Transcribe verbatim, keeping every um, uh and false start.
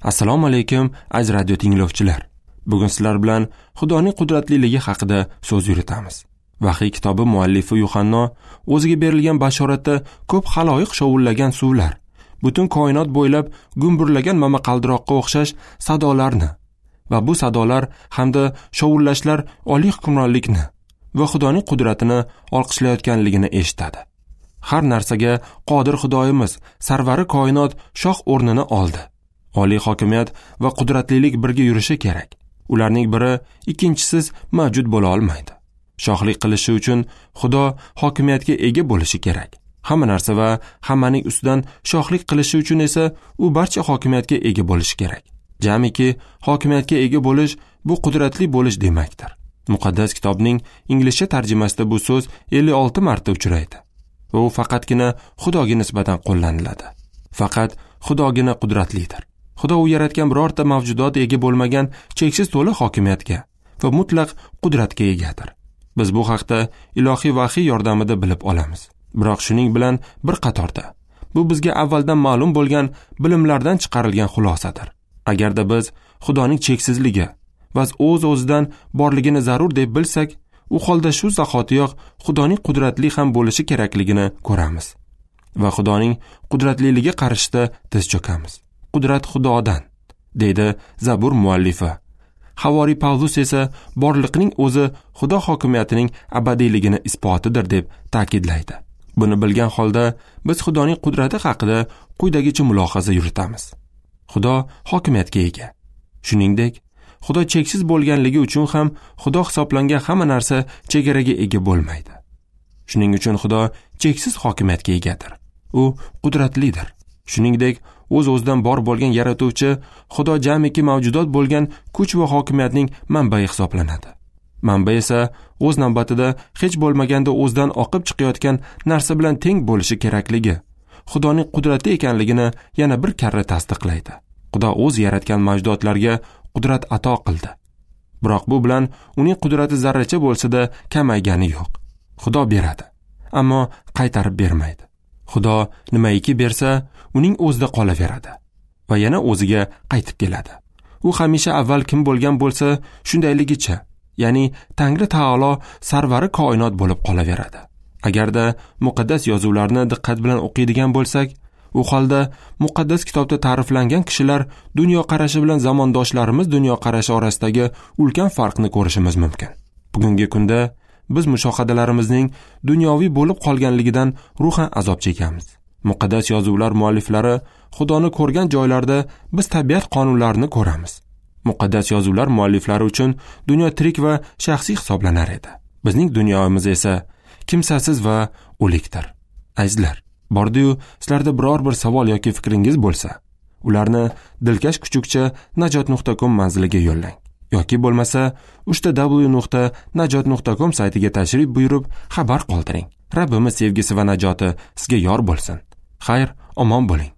Assalomu alaykum aziz radio tinglovchilar. Bugun sizlar bilan Xudoning qudratliligi haqida so'z yuritamiz. Vahiy kitobi muallifi Yuhanno o'ziga berilgan bashoratda ko'p xaloyiq shovullagan suvlar, butun koinot bo'ylab gumburlagan momaqaldiroqqa o'xshash sadolarni va bu sadolar hamda shovullashlar oliy hukmronlikni va Xudoning qudratini olqishlayotganligini eshitadi. Har narsaga qodir Xudoyimiz sarvari koinot shoh o'rnini oldi. Oliy hokimiyat va qudratlilik birga yurishi kerak. Ularning biri ikkinchisiz mavjud bo'la olmaydi. Shohlik qilishi uchun Xudo hokimiyatga ega bo'lishi kerak. Hamma narsa va hammaning ustidan shohlik qilishi uchun esa u barcha hokimiyatga ega bo'lishi kerak. Jamiki hokimiyatga ega bo'lish bu qudratli bo'lish demakdir. Muqaddas kitobning inglizcha tarjimasida bu so'z ellik olti marta uchraydi va u faqatgina Xudoga nisbatan qo'llaniladi. Faqat Xudogina qudratlidir. Xudo u yaratgan birorta mavjudot ega bo'lmagan cheksiz to'la hokimiyatga va mutlaq qudratga egadir. Biz bu haqda ilohiy vahiy yordamida bilib olamiz. Biroq shuning bilan bir qatorda bu bizga avvaldan ma'lum bo'lgan bilimlardan chiqarilgan xulosadir. Agarda biz Xudoning cheksizligi va o'z-o'zidan borligini zarur deb bilsak, u holda shu zahotiyoq Xudoning qudratli ham bo'lishi kerakligini ko'ramiz va Xudoning qudratliligi qarshisida tiz cho'kamiz. Qudrat Xudodan, deydi Zabur muallifi. Havoriy Pavlus esa borliqning o'zi Xudo hokimiyatining abadiyligini isbotidir deb ta'kidlaydi. Buni bilgan holda biz Xudoning qudrati haqida quyidagicha mulohaza yuritamiz. Xudo hokimiyatga ega. Shuningdek, Xudo cheksiz bo'lganligi uchun ham Xudo hisoblangan hamma narsa chegaraga ega bo'lmaydi. Shuning uchun Xudo cheksiz hokimiyatga egadir. U qudratlidir. Shuningdek, o'z-o'zidan bor bo'lgan yaratuvchi Xudo jamiki mavjudot bo'lgan kuch va hokimiyatning manbai hisoblanadi. Manba esa o'z navbatida hech bo'lmaganda o'zidan oqib chiqayotgan narsa bilan teng bo'lishi kerakligi, Xudoning qudrati ekanligini yana bir karra tasdiqlaydi. Xudo o'z yaratgan mavjudotlarga qudrat ato qildi. Biroq bu bilan uning qudrati zarracha bo'lsa-da kamaygani yo'q. Xudo beradi, ammo qaytarib bermaydi. Xudo nimaiki bersa, uning o'zida qolaveradi va yana o'ziga qaytib keladi. U hamisha avval kim bo'lgan bo'lsa, shundayligicha, ya'ni Tangri taolo sarvari koinot bo'lib qolaveradi. Agarda muqaddas yozuvlarni diqqat bilan o'qiydigan bo'lsak, u holda muqaddas kitobda ta'riflangan kishilar dunyoqarashi bilan zamondoshlarimiz dunyoqarashi orasidagi ulkan farqni ko'rishimiz mumkin. Bugungi kunda biz mushohadalarimizning dunyoviy bo'lib qolganligidan ruhan azob chekamiz. Muqaddas yozuvlar mualliflari Xudoni ko'rgan joylarda biz tabiat qonunlarini ko'ramiz. Muqaddas yozuvlar mualliflari uchun dunyo tirik va shaxsiy hisoblanar edi. Bizning dunyomiz esa kimsasiz va o'likdir. Azizlar, bordi-yu sizlarda biror bir savol yoki fikringiz bo'lsa, ularni dilkash kuchukcha najot nuqta com manziliga yo'llang. Yoki bo'lmasa uchta w nuqta najot nuqta com saytiga tashrif buyurib xabar qoldiring. Rabbimiz sevgisi va najoti sizga yor bo'lsin. Xayr, omon bo'ling.